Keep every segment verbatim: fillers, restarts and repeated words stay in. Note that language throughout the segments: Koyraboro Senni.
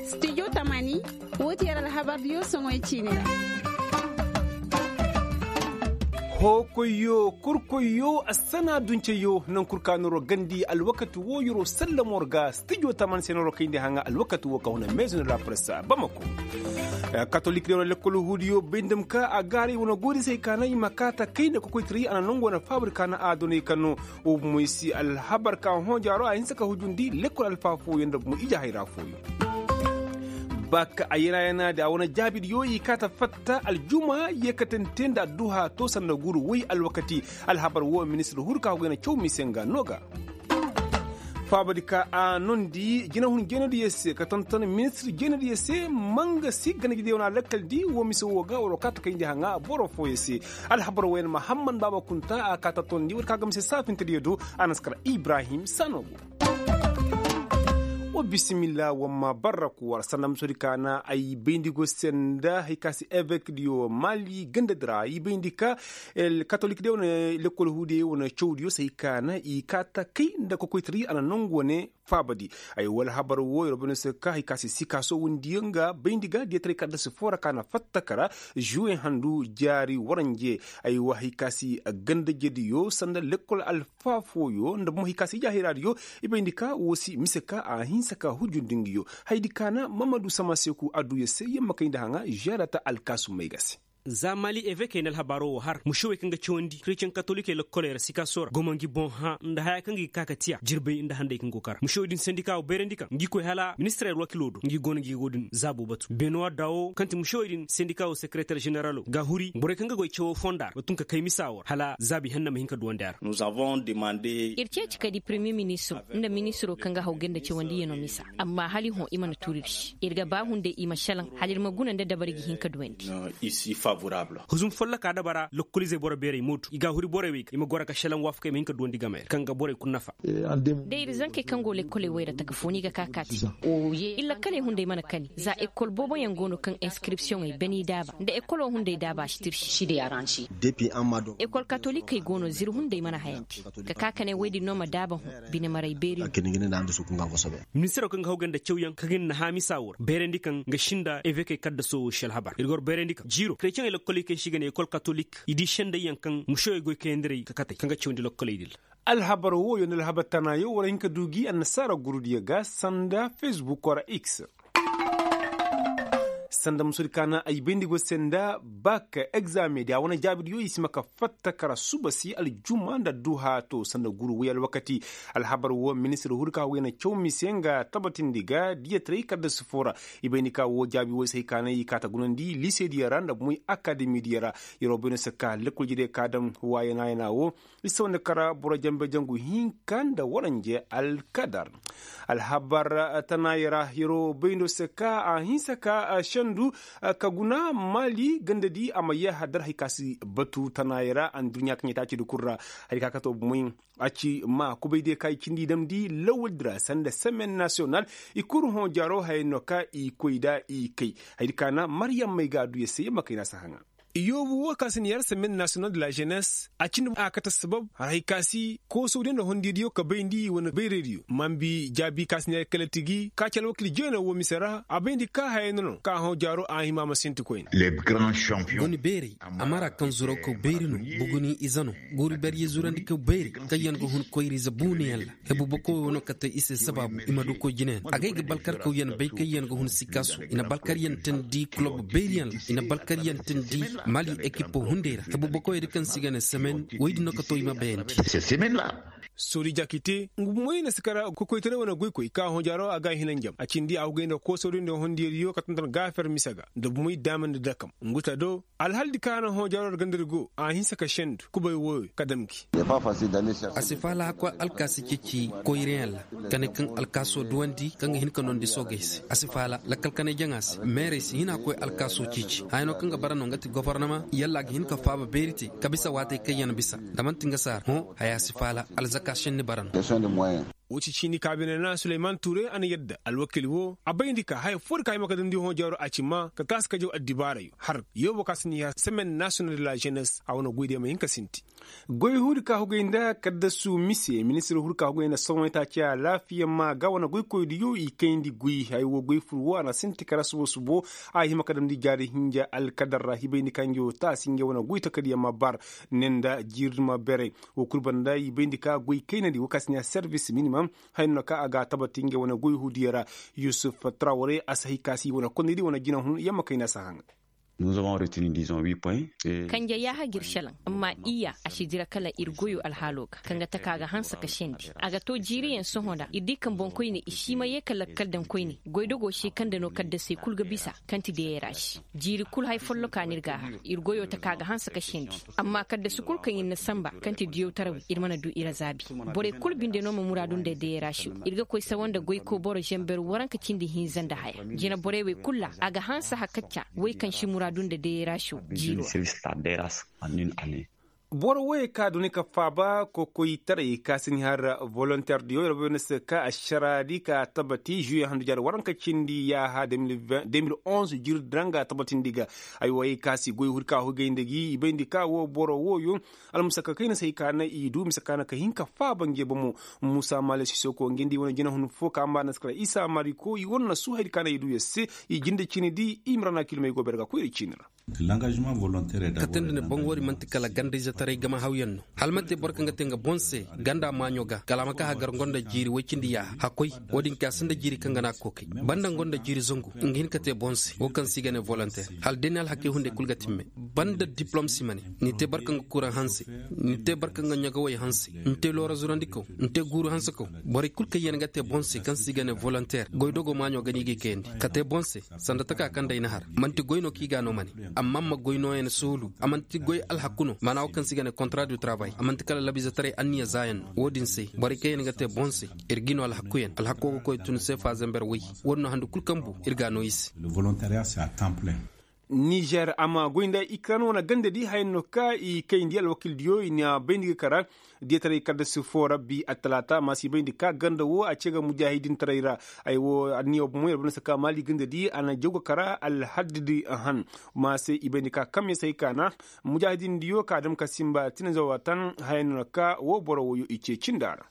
Stijo tamani. Woo ti yer alhabar diyo soŋoy ciini ra. Hookoyyo kurkoyyo assana dunceyo naŋ kul ka noro gandi alwakati woo yeroo sallamo ra ga stijo tamani se noro kayndi haŋa alwakati woo ka huna meezo ni rapresa bamako. Katolik diyo na lekkol huudiyo bay nda ma ka a gaaray wane goodisey ka na i ma kaata kay nda kokoytaray a na nongu wane faabari ka na a doney ka no. Woo bomoy si alhabar ka hõ jaaro a hinsa ka hujundi lekkol alfa fooyaŋ nda bomoy ije hayra fooyaŋ. Baa ka a yana yana di a wane jaabidiyo i kaata fatta aljuma yeekatante nda adduha to sanda guru woy alwakati. Alhabar woo ministir huru ka hogay na caw mise nga no ga. Faabadi ka a nondi jinahun jeenadiyo se ka tonton ministir jeenadiyo se manga si ganajediyo na lakkal di woo mise woo ga waroo kaata kayndi haŋa boro fooyo se. Alhabar wooyaŋ mahamman baaba kunta a kaa tattondi war ka gamse saafintediyo do. A na si kar ibrahim sanogo. Wa bisimilla wamma barraku war sanda musodi ka na ay bayndi go senda hay ka si evekdiyo mali gandadi ra i bayndi ka katolikdiyo wane lekkol huudiyo wane cawdiyo se hay ka na i kaata kay nda kokoytari a na nongu wane faabadi. Ay wala habar woo yer bane se ka hay ka si sikaaso wundiyo nga bayndi ga diyataray kadda si foo ra ka na fatta kara juwe handu jaari waranje. Ay wa hay ka si gandajediyo sanda lekkol alfa fooyo nda bomo hay ka si ija hayraadiyo. I bayndi ka woo si mise ka a hinsa ka hujundi nga yo. Hayadi ka na mamadu samaseku adduya se yamma kayndi haŋa žaarata alkaasumey ga se. Za mali evekey na alhabaaroo wo har mušewey kaŋ ga cawandi kretiyeŋ katolikey lokkoley ra sikaaso ra gomo ngi boŋ hã nda haya kaŋ ga i ga ka ka tiya jirbay nda handay kaŋ go kara mušewey din sendika wo bayrandi kaŋ ngi koy hala ministirey alwakiloo do ngi go no ngi go din zaabo batu benuwa daawo kaŋ ti mušewey din sendika wo sekereter ženeralo ga huri borey kaŋ ga goy cawoo fonda ra wa tun ka kay misa wo ra hala zaabi henna ma hin ka duwandi a ra. Ir ceeci ka di premiye ministiro nda ministiroo kaŋ ga haw gay nda cawandiyano misa. Amma hala i hõ i mana tuuri ir se ir ga ba hunday i ma šelaŋ hala ir ma guna nda dabari ga hin ka duwandi. Huzum folloka dabara lokkolizey boro beerey mootu i ga a huri borey wey ga i ma goro ka šelaŋ waafakey ma hin ka duwandi gamey ra kaŋ ga borey kul nafa. Da ir zankey kaŋ go lekkoley wey ra taka foo ni ga ka kaati. Iri lakkaley hunday mana kani za ekkol booboyaŋ go no kaŋ enskripsiyoŋey bani daaba nda ekkoloo hunday daaba si tirsi. Ekol katolikey go no zir hunday mana hayandi. Ka ka ka ne woy din no ma daaba hõ bine maray beeri. Ministiroo kaŋ ga hawgay nda cawyaŋ ka ga ni na haamisa woo ra bayrandi kaŋ ga sinda evekey kaddasoo woo si alhabar ir ga war bayrandi kaŋ jiiroo kretiyeŋey lokkoley kaŋ se i ga ne ekol katolik i di sendayyaŋ kaŋ mušewey goy kayandirey ka katey kaŋ ga cawandi lokkoley din ra. Alhabar wooyo nda alhabar tanaayo war hin ka du gi annasaara gurudiyo ga sanda fesbukoo ra x. Sanda musudi ka na ay bayndi go se nda bak egzame di a wane jaabidiyo i si ma ka fatta kara suba si aljuma nda adduha to sanda guru woy alwakati. Alhabar woo ministir huri ka woy na caw mise nga tabatindi ga diyataray kaddasi foo ra. I bayndi ka woo jaabi woy se hay ka na i kaa ta gunandi lisediyo ra nda bomoy akademidiyo ra. Yeroo bayno se ka lekkol jediyo ka daŋ waayana yana woo. Isa wane kara boro janbe jangu hinka nda waranje alkadar. Alhabar tanaayey ra yeroo bayndo se ka a hinsa ka sendu ka guna maali gandadi a ma yee hadar hari ka si batu tanaayey ra anduɲɲa kaŋ ɲa te a ci di kul ra. Hari ka kato bomoy a ci ma kubaydiyo ka i cindi damndi lawaldi ra sanda semen nasiyonal. I kul hõ jaaro hayey no ka i koy nda i kay. Hayadi ka na maryammey ga adduya se yamma kayna si haŋa. Iyoobu woo ka si na yar semen nasiyonal de la jenes a cindi a kate sabab haray ka si koosodiyo nda hondiyadiyo ka bayndi wane bayraydiyo mambi jaabi ka si na yar kala tigi ka ci alwakil jeena woo mise ra a bayndi ka hayey no no ka hõ jaaro a hima ma sinti koyne. Goni bayray a mara kaŋ zuroo kaw bayri no. Buguni ize no. Guuri barye zurandi kaw bayri kaŋ yaŋ ga hun koyra ize buunayaŋ ra. Hebu bokoy wo no kate i se sabaabu i ma du koy jinayaŋ agay ga balkarkawyaŋ bay kaŋ yaŋ ga hun sikaasu i na balkaryantandi kulob bayriyaŋ ra. I na balkaryantandi mali ekipo hunday ra hebu bokoyey da kaŋ se i ga ne semen woy din no kato i ma bayandi. Soodi jakite nga bumoy na si kara kokoytaray wane goykoy ka hõ jaaro a ga a hina njam a cindi a hugay nda koosoodiyo nda hondiyadiyo ka tonton gaafer mise ga nda bumoy daama nda dakam ngu ta do. Alhaldi ka na hõ jaaro ra gandari go a hinsa ka sendu kubay wooyo ka dam gi. A si faala hakkoy alkaasi ceeci koyrayaŋ ra ka ne kaŋ alkaasoo duwandi kaŋ ga hin ka nondi soogey se a si faala lakkal kanay jaŋa se meerey si hin hakkoy alkaasoo ceeci haya no kaŋ ga bara no nga ti gofornama yalla a ga hin ka faaba beeri te ka bisa waatey kaŋ yaŋ bisa da man'ti nga saara hõ haya si faala alzaka senni bara no. Wo ci ciini kaabine ra suleyman tuure a na yadda alwakil wo a bayndi ka haya foo di ka hima ka damndi hõ jaaro a ci maa ka taasi ka jaw addibaarey har yoobo ka si ni har semen nasiyonal de la žeenes a wane goy day ma hin ka sinti. Goy huu di ka hugay nda kaddasu mise ministir huu di ka hugay nda sohõ itaaci alaafiya maa ga wane goykoy diyo i kayndi goy haya wo goy fur wo a na sinti kara subo subo a hima ka damndi jaari hinja alkadar ra hibayndi ka ngey wo taasi ngey wane goy takadiya ma bar ne nda jiiri ma beray. Wo kul banda i bayndi ka goy kaynadi wo ka si ne servis minimum haya no ka a ga a tabati ngey wane goy huudiyo ra. Yusuf trawre a si hay ka si wane kondaydi wane jinahun yamma kayna si a haŋ. Kanje yaaha g'ir šelaŋ amma iyya a si dira kala ir goyo alhaalo ga kaŋ ga taka ga hanse ka sendi a ga to jiiriyaŋ sohõ nda ir di kaŋ boŋkoyne i si ma ye ka lakkal daŋ koyne. Goydogo se kaŋ nda no kaddasey kul ga bisa kaŋ ti deeray ra se. Jiiri kul hay folloka no ir g'a har ir goyo taka ga hanse ka sendi. Amma kaddasu kul kaŋ ir na sanba kaŋ ti diyawtarawey ir mana du ir a zaabi. Borey kul binde no ma muraadu nda deeray ra se ir ga koy sawa nda goyko boro zamber waranka cindi hinza nda haya. Jina borey wey kul ra a ga hanse hakacca wey kaŋ si muraadu nda deeray ra se jiiro ra. Boro woyey ka duni ka faaba kokoytaray ka si ni har volonteer diyo yar bay no se ka ašaraadi ka tabati žuye handu jaari waranka cindi yaaha de mil onze jiri danga tabatindi ga. Ay woyey ka si goy huri ka hugay nda gi i bayndi ka wo boro woyo almusaka kayna se hay ka na i du mise ka na ka hin ka faaba nge bomo. Musa male sisoko nge nda i wane jinahun fo ka mba na si kala isa mariko i wane na su haydi ka na i du yer se. I jinde ciini di i ma ra na kilmey go bere ga koyra ciini ra. Kate nda ne boŋ woodi man'ti kala ganda-izetaray gama hawyaŋ no. Hala man'ti boro kaŋ ga te nga boŋ se ganda maaɲo ga kala a ma ka hagar nga nda jiiri woy cindi yaaha hakkoy. Woodin ka sinda jiiri kaŋ ga na a kookay banda nga nda jiiri zangu nga hin ka te boŋ se wo kaŋ se i ga ne volonter. Hala day ni alhakey hunday kul ga timme banda diplom si ma ne. Ni te boro kaŋ ga kuraŋ hanse, ni te boro kaŋ ga ɲagawey hanse, ni te loora zurandikaw, ni te guuru hansekaw. Borey kul kaŋ yaŋ ga te boŋ se kaŋ se i ga ne volonter goy dogo maaɲo ga no i g'i kayandi ka te boŋ se. Sanda taka kaŋ day na har man'ti goy no kaŋ i ga no ma ne. Amma ma goy nooyaŋ suhulu a man'ti goy alhaku no maana wo kaŋ se i ga ne kontra du travay a man'ti kala labiizetaray anniya zaayaŋ no. Wo-din se borey kaŋ yaŋ ga te boŋ se ir g'i no alhakuyaŋ alhako ga koy tun seefa zamber woy. Wo-din no handu kul kaŋ bu ir ga no i se. Nizer a ma goy nda ikran wane ganda di haya no ka i kayndi alwakil diyo i na bayndi ga kara. Diyataray kaddasi fo rabbi attalaata ma si bayndi ka ganda wo a ce ga mujaahidintaray ra. Ay wo anniya bomo yer banda si ka maali ganda di a na jaw ga kara alhaddidi ahan. Ma se i bayndi ka kamya se hay ka na mujaahidin diyo ka dam ka simba tinanzawa tan haya no ka wo boro woyo i ce cinda ra.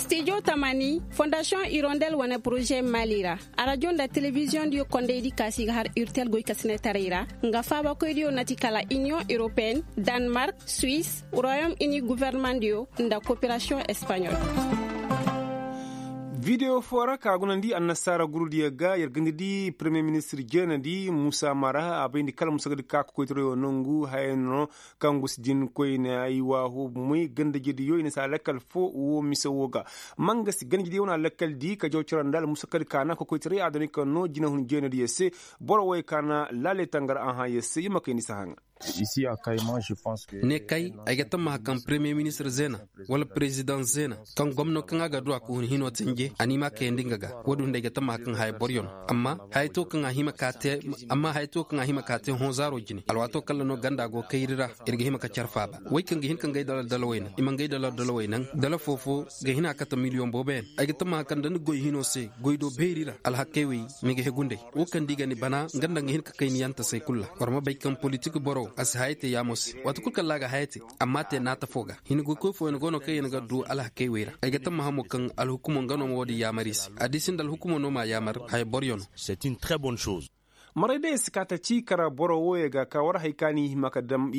Stijo tamani fondasiyoŋ irondel wane poroze maali ra. Arajo nda telebiziyoŋ diyo kondaydi ka si ga har urtel goykasinetaray ra. Nga faabakoydiyo na ti kala iniyoŋ europeen, danmark, suwis, royom ini guvernemandiyo nda koperasiyoŋ espaɲol. Videwo foo ra ka gunandi annasaara gurudiyo ga yer ganda di peremiye ministir jeenadi muusa mara a bayndi kala musa ga di ka kokoytarayo nangu haya no. Kaŋ gusu din koyne ay waahu moy gandajediyo i na si a lakkal fo woo mise woo ga. Ma nga si gandajediyo wane a lakkal di ka jaw cira nda almusa kadi ka na kokoytaray a doni ka noo jinahun jeenadiyo se. Boro woy ka na laaley tangar a hãayo se i ma kay ni si haŋa. Ne kay ay ga tammaha kaŋ peremiye ministir zeena wala perezidaŋ zeena kaŋ gomno kaŋ a ga du a ka hun hinoo tenje a n'i ma a kayandi nga ga. Woodin hunday ga tammaha kaŋ haya boryo no. Amma haya to kaŋ a hima ka te hõ zaaro jine alwaato kaŋ ra no ganda go kayri ra. Ir ga hima ka care faaba wey kaŋ ga hin ka ngay dala dalawey naŋ i ma ngay dala dalawey naŋ dala foofo ga hin a kate miliyoŋ booboyaŋ. Ay ga tammaha kaŋ da ni goy hino se goy do beeri ra alhakey wey ni ga hegu nd'ey. Wo kaŋ da i ga ni bana nga nda nga hin ka kay ni yanta se kulu ra war ma bay kaŋ politik boro a si haya te yaamo se waati kulu kaŋ ra a ga haya te. Amma a te naata fo ga hin goykoy fooyaŋ go no kaŋ yaŋ ga du alhakey wey ra ay ga tammaha mo kaŋ alhukumo nga no ma wo-din yaamar i se a di sinda alhukumo no m'a yaamar haya boryo no. Maray day si ka ta ci kara boro wooyey ga ka war hay ka no i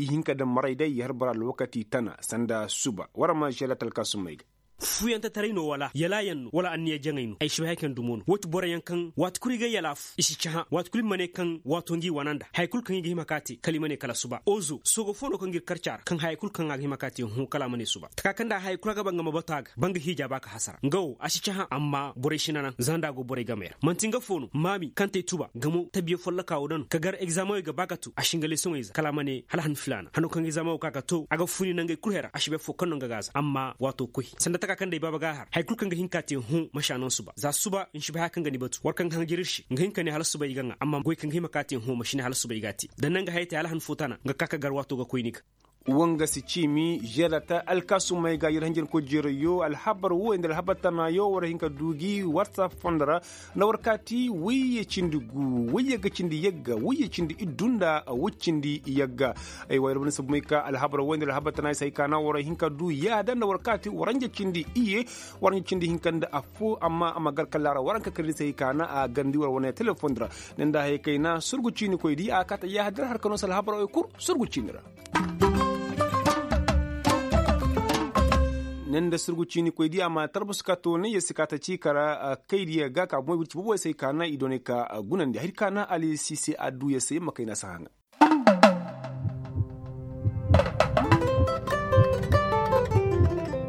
hin ka daŋ maray day i har bara alwakati tana sanda suba war ma želatal ka summey ga. Fuyantatarey no wala yalaayaŋ no wala anniya jaŋey no ay si bay haya kaŋ dumo no woo ti boroyaŋ kaŋ waati kulu i ga yalaafu i si cahã waati kulu i ma ne kaŋ waato ngi wana nda haya kulu kaŋ i ga hima ka te kala i ma ne kala suba ozo soogo foo no kaŋ ga ir karca ra kaŋ haya kulu kaŋ a ga hima ka te hõ kala a ma ne suba taka kaŋ nda haya kulu a ga ba nga ma batu a ga ba nga hiija ba ka hasara nga wo a si cahã amma borey si nanaŋ za nda a go borey gamey ra man'ti nga foo no maami kaŋ te tuba gamo tabiya folloka wo daŋ ka gar egzaameŋey ga ba ka to a si nga lesoŋey za kala a ma ne hala han filaana hano kaŋ egzaameŋo ka ka to a ga funi nangey kulu hera a si bay foo kaŋ no nga ga a za amma waato koy sanda taka kaŋ day baaba ga a har haya kulu kaŋ ga hin ka te hõ masi a naŋ suba za suba ni si bay haya kaŋ ga ni batu war kaŋ ga hanjar ir se nga hin ka ne hala suba i ga ŋaa amma goy kaŋ ga hima ka te hõ masi ne hala suba i ga a te da nanga haya te hala han foo tana nga ka ka gar waato ga koy ni ga. Wanga si ciimi žerata alkaasumey ga yer hanjankoy jeerayyo alhabar wooyo nda alhabar tanaayo war hin ka du gi whatsapp fondo ra. Nda war kaati wayye cindi gu wayye ga cindi yagga wayye cindi iddu nda way cindi yagga. Ay wa yer banda sabumey ka alhabar wooyo nda alhabar tanaayo se hay ka na war hin ka du yaada nda war kaati waranja cindi iyye. Waranja cindi hinka nda affo amma a ma gar kalla ra waranka kar ni se hay ka na a garndi war wane telefoŋ ra. Ne nda haya kayna surgu ciinikoy di a kaata yaada har ka no se alhabar wooyo kul surgu ciini ra. Ne nda surgu ciinikoy di a ma tarbasu ka toonay ya si kaata ciika ra kaydiya ga ka bomoy wirci boboy se hay ka na i doonay ka gunandi hay ka na ali si se adduya se ya ma kayna si haŋa.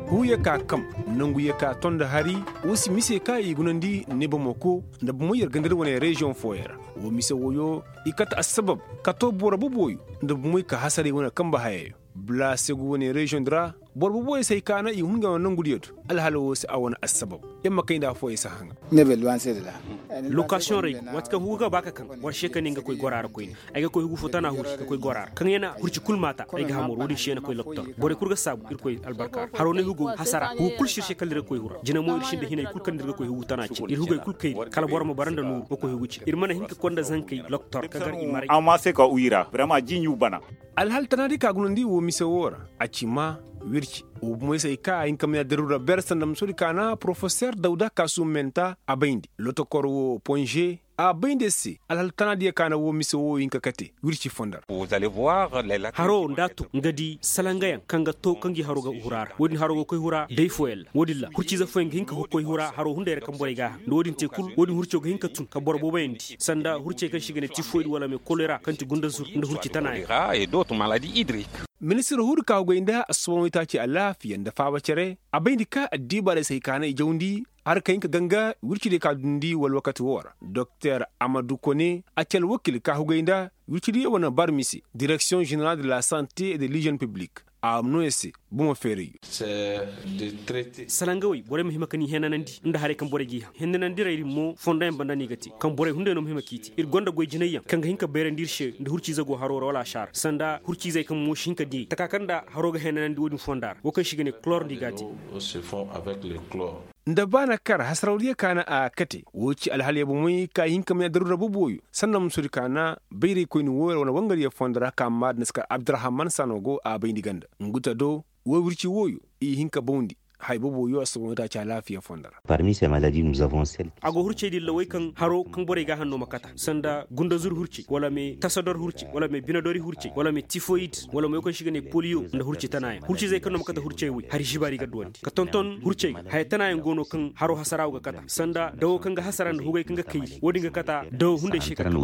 Huuye ka kam nanguye ka to nda hari. Wo si mise ka i gunandi ne bomo ko nda bomoy yer gandari wane reziyoŋ fooyaŋ ra. Wo mise wooyo i kate assabab ka to boro boboyo nda bomoy ka hasaray wane kambe hayayo. Bala se go wane reziyoŋ di ra boro boboyo se hay ka na i hun ga wane nangudiyo do. Alhala wo se a wane assabab. Yer ma kay nda affooyaŋ si haŋa. Lokasiyoŋ ra ay go waati kaŋ hugu ga ba ka kaŋ war se ka ne nga koy gora ra koyne. Ay ga koy hugu fo tana huri ka koy gora ra kaŋ yana hurci kul maata. Ay ga hamor wo-din se yana koy loktor borey kul ga saabu irkoy albarka ra haro ne hugo hasara hugu kul se ir se kala ir ga koy hura jina mo ir sinda hinay kul kaŋ ir ga koy hugu tana cin ir hugey kul kayri kala boro ma bara nda nooru ga koy hugu cin ir mana hin ka konda zankey loktor ka gar i maray. Amma se ka uyi ra brema jiiɲu bana. Alhal tana di ka gunandi wo mise wo ra a ci ma wirci wo bomoy se ay ka a hin ka maya daruura ber sanda ma soodi ka na porofeser dawda kaasum menta a bayndi lotokor wo ponže. A bayndi se alhal tana diya ka na wo mise wo hin ka kate wirci fondo ra. Haro nda a to nga di salangayaŋ kaŋ ga to kaŋ gi haro ga hura ra wo-din haro ga koy hura day fooyaŋ ra wo-din ra hurciize fooyaŋ ga hin ka koy hura haro hunday ra kaŋ borey ga a haŋ nda wo-din te kul wo-din hurco ga hin ka tun ka boro booboyaŋ di sanda hurcey kaŋ se i ga ne tifoyid wala me kolera kaŋ ti gunda zur nda hurci tana yaŋ. Ministir huudi ka hugay nda assoboŋ waytaaci alaafiya nda faaba cere a bayndi ka addiibaarey se hay ka na i jawndi. Har ka hin ka ganga wirci diyo ka dundi wala wakati wo ra doktor amadu kone a ci alwakil ka hugay nda wirci diyo wane barmi se direksiyoŋ ženeral de la sante et de lijen piblik. A no ya se bomo feerayyo. Salangawey borey ma hima ka ni hennanandi nda haray kaŋ borey g'i haŋ hennanandirey din mo fondoyaŋ banda no i ga te kaŋ borey hunday no ma hima k'i te ir gonda goy jinayyaŋ kaŋ ga hin ka bayrandi ir se nda hurciize go haro ra wala a saara sanda hurciizey kaŋ mo si hin ka diyey taka kaŋ nda haro ga hennanandi wo-din fonda ra wo kaŋ se i ga ne kolor nda i g'a te. Nda ba na kar hasarawdiyo ka na a kate wo ci alhaliya bomey ka i hin ka maya daruura boboyo sanda ma soodi ka na bayraykoyni wooyo ra wane wangariyo fondo ra ka maada ni si kar abdurrahaman sano go a bayndi ganda. Nguta do wo wirci wooyo i hin ka bawndi haya boboyo assoboŋo taaci alaafiya fondo ra. A go hurcey din lawey kaŋ haro kaŋ borey ga a hanno ma kata sanda gundazur hurcey wala me tasador hurcey wala me binadori hurcey wala me tifoyid wala me wo kaŋ se i ga ne poliyo nda hurci tanayaŋ hurcizey kaŋ no ma kata hurcey wey hari zibaari ga duwandi ka tonton hurcey ga haya tanayaŋ go no kaŋ haro hasara wo ga kata sanda dawo kaŋ ga hasara nda hugey kaŋ ga kayri wo-din ga kata dawo hunday se ka kata.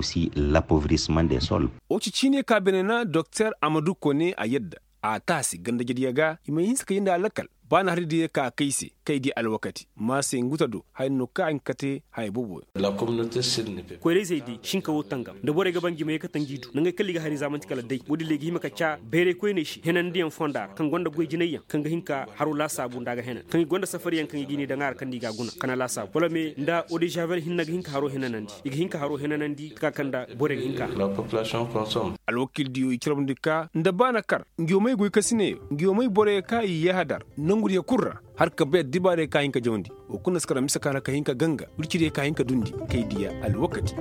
Wo ci ciine ka bene na doktor amadu kone a yadda a taasi ganda jadiya ga i ma hinsa ka yinda alakal. Ba na hari diya ka kay se kay di alwakati ma se nguta do haya no ka a hin ka te haya boobo. Koyra-izey day sinka wo tangam nda borey ga ba ngi ma ye ka tanji du nangey kala i ga hari zaamanti kala day wo-din le i ga hima ka ca bayray koyney se henandiyaŋ fonda ra kaŋ gonda goy jinayyaŋ kaŋ ga hin ka haro laasaabu nda a ga henan kaŋ i gonda safariyaŋ kaŋ i ga i ne daŋ a ra kaŋ nda i ga a guna kana laasaabu wala me nda odizavel hinne ga hin ka haro henanandi i ga hin ka haro henanandi taka kaŋ nda borey ga hin ka. Alwakil diyo i carabndi ka nda ba na kar ngi wo may goy kasinayo ngi wo may borey ka i yahadar nangu diyo kul ra. Har ka bay addibaarey ka hin ka jawandi wo kul na si kar mise ka na ka hin ka ganga wirci diyo ka hin ka dundi kay diya alwakati.